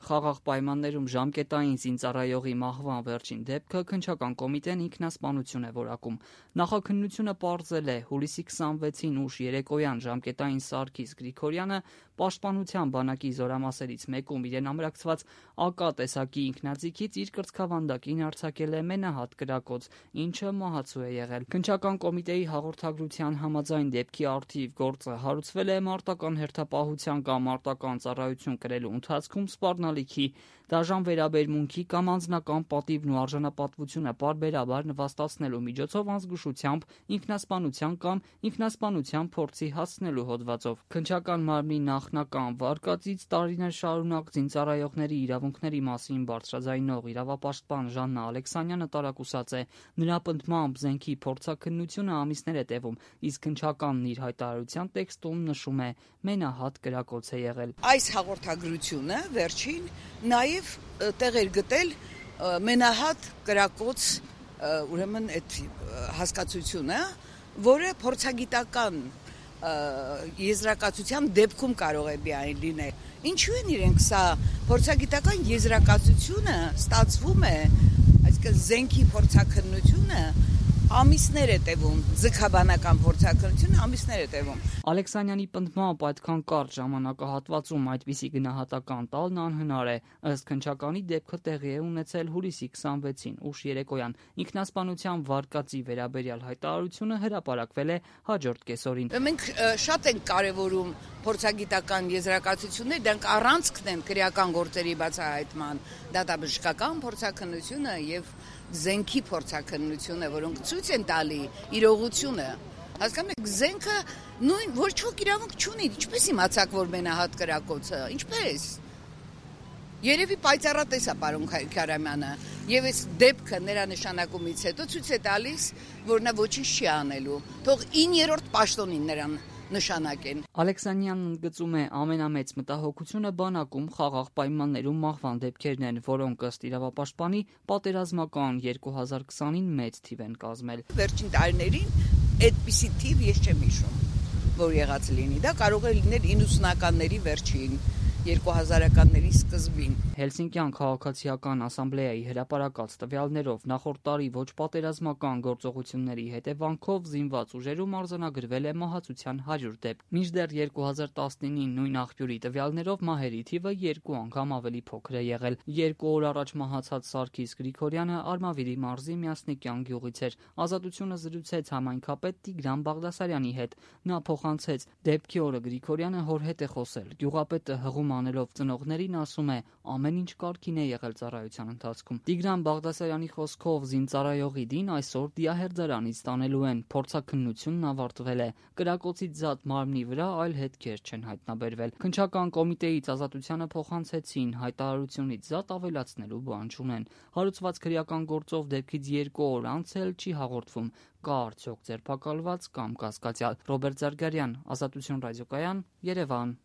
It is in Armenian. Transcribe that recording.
Խաղաղ պայմաններում ժամկետային զինծառայողի մահվան վերջին դեպքը քննչական կոմիտեն ինքնասպանություն է որակում։ Նախաքննությունը պարզել է հուլիսի 26-ին ուշ երեկոյան ժամկետային Սարգիս Գրիգորյանը Պաշտպանության բանակի զորամասերից մեկում իրեն ամրացված ԱԿ տեսակի ինքնաձիգից իր կրծքավանդակին արձակել է մենահատ կրակոց, ինչը մահացու է եղել։ Քննչական կոմիտեի հաղորդագրության համաձայն դեպքի առթիվ գործը հարուցվել է մարտական հերթապահության կամ մարտական ծառայություն կրելու ընթացքում սպառնալիքի, դաժան վերաբերմունքի կամ անձնական պատիվն ու արժանապատվությունը պարբերաբար նվաստացնելու միջոցով անզգուշությամբ, ինքնասպանության կամ ինքնասպանության փորձի հասցնելու հոդվածով։ Քննչական մարմնի նախնական վարկածից տարիներ շարունակ զինծառայողների իրավունքների մասին բարձրաձայնող իրավապաշտպան Ժաննա Ալեքսանյանը տարակուսած է։ Նրա պնդմամբ զենքի փորձաքննությունը ամիսներ է տևում, իսկ քննչականն իր հայտարարության տեքստում նշում է՝ մենահատ կրակոց է եղել։ Այս հաղորդագրությունը վերջին նաև տեղ էր գտել մենահատ կրակոց, ուրեմն այդ հասկացությունը, որը փորձագիտական եզրակացության դեպքում կարող է միայն լինել։ Ինչու են իրենք սա փորձագիտական եզրակացությունը ստացվում է, այսինքն զենքի փորձաքննությունը ամիսներ է տևում, ձգաբանական փորձաքննությունը ամիսներ է տևում։ Ալեքսանյանի պնդմամբ այդքան կարճ ժամանակահատվածում այդպիսի գնահատական տալն անհնար է։ Ըստ քննչականի դեպքը տեղի է ունեցել հուլիսի 26-ին ուշ երեկոյան։ Ինքնասպանության վարկածի վերաբերյալ հայտարարությունը հրապարակվել է հաջորդ կեսօրին։ Մենք շատ ենք կարևորում փորձագիտական եզրակացություններ, դրանք առանցքն են քրեական գործերի բացահայտման, դատաբժշկական փորձաքննությունը եւ զենքի փորձաքննությունը, որոնք ցույց են տալի իրողությունը։ Հասկանում եք, զենքը նույն ոչ ոք իրավունք չունի, ինչպես իմացաք, որ մենահատ կրակոցը, ինչպես։ Երևի պայծառատես է պարոն Քարամյանը, եւ այս դեպքը նրա նշանակումից հետո ցույց է տալիս, որ նա ոչինչ չի անելու։ Թող 9-րդ պաշտոնին նրան նշանակեն։ Ալեքսանյանն ընդգծում է, ամենամեծ մտահոգությունը բանակում խաղաղ պայմաններում մահվան դեպքերն են, որոնք ըստ իրավապաշտպանի պատերազմական 2020-ին մեծ թիվ են կազմել։ Վերջին տարիներին այդպիսի թիվ ես չեմ հիշում, որ եղած լինի։ Դա կարող է լինել 90-ականների վերջին, 2000-ականների սկզբին։ Հելսինկյան քաղաքացիական ասամբլեայի հրապարակած տվյալներով նախորդ տարի ոչ պատերազմական գործողությունների հետևանքով զինված ուժերում արձանագրվել է մահացության 100 դեպք։ Մինչդեռ 2019-ին նույն աղբյուրի տվյալներով մահերի թիվը 2 անգամ ավելի փոքր է եղել։ 2 օր առաջ մահացած Սարգիս Գրիգորյանը Արմավիրի մարզի Միասնիկյան գյուղից էր։ Ազատությունը զրուցեց համայնքապետ Տիգրան Բաղդասարյանի հետ։ Նա փոխանցեց՝ դեպքի օրը Գրիգորյանը հոր հետ է խոսել։ Գյուղապետը հղում անելով ծնողներին ասում է՝ ամեն ինչ կարգին է եղել ծառայության ընթացքում։ Տիգրան Բաղդասարյանի խոսքով զինծառայողի դին այսօր դիահերձարանից տանելու են։ Փորձաքննությունն ավարտվել է։ Կրակոցից զատ մարմնի վրա այլ հետքեր չեն հայտնաբերվել։ Քննչական կոմիտեից Ազատությանը փոխանցեցին՝ հայտարարությունից զատ ավելացնելու բան չունեն։ Հարուցված քրեական գործով դեպքից 2 օր անց էլ չի հաղորդվում՝ կա արդյոք ձերբակալված կամ կասկածյալ։ Ռոբերտ Զարգարյան, Ազատություն ռադիոկայան, Երևան։